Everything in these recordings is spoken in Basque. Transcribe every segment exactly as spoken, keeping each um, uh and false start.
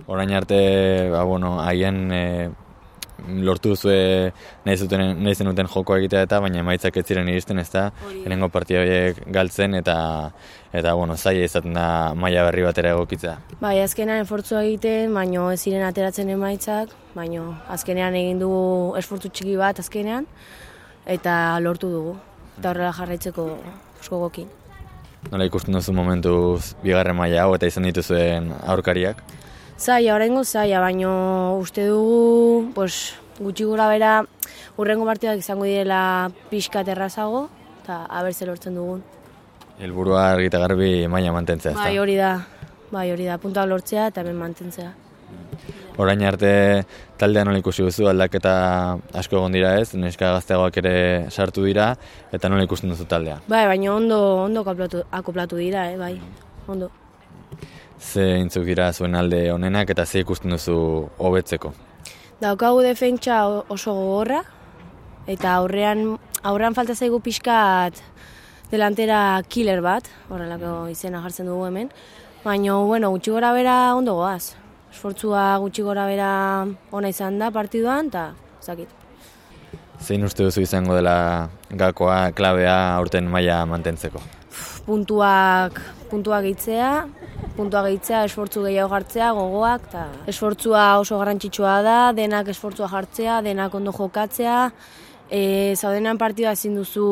Orain arte, ba, bueno, haien e, lortu duzue nahi zuten nahi zenuten joko egitea eta baina emaitzak ez ziren iristen, ezta? Lehenengo partida horiek galtzen eta eta bueno, zaila izaten da maila berri batera egokitzea. Bai, azkenean esfortzua egiten, baino ez ziren ateratzen emaitzak, baino azkenean egin dugu esfortzu txiki bat azkenean eta lortu dugu. Eta horrela jarraitzeko gogokin. Nola ikusten duzu momentuz bigarren maila hau eta izan dituzuen aurkariak? Zaila, oraingo zaila, baino uste dugu, pues, gutxi gora bera, hurrengo partidak izango direla pixkat errazago, eta abertze lortzen dugun. Helburua argi eta garbi maila mantentzea, ezta? Bai, hori da, bai, hori da, puntuak lortzea eta hemen mantentzea. Orain arte taldean nola ikusi duzu, aldaketa asko egon dira ez, neska gazteagoak ere sartu dira, eta nola ikusten duzu taldea? Bai, baina ondo, ondo akoplatu, akoplatu dira, eh, bai, ondo. Ze intzuk dira zuen alde honenak eta ze ikusten duzu hobetzeko? Daukagu defentsa oso gogorra, eta aurrean, aurrean falta zaigu pixkat delantera killer bat, horrelako izena jartzen dugu hemen, baina, bueno, gutxi gora bera ondo goaz. Esfortzua gutxi gora bera ona izan da partiduan, eta zakit. Zein uste duzu izango dela gakoa, klabea aurten maila mantentzeko? Puntuak, puntuak gehitzea, puntuak gehitzea, esfortzu gehiago jartzea, gogoak, eta esfortzua oso garrantzitsua da, denak esfortzua jartzea, denak ondo jokatzea, e, zaudenan partidua ezin duzu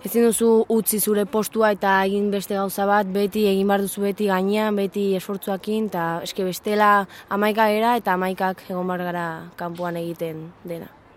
ezin duzu utzi zure postua eta egin beste gauza bat, beti egin behar duzu beti gainean, beti esfortzuakin, eta eske bestela hamaika era eta hamaikak egon behar gara kanpoan egiten dena.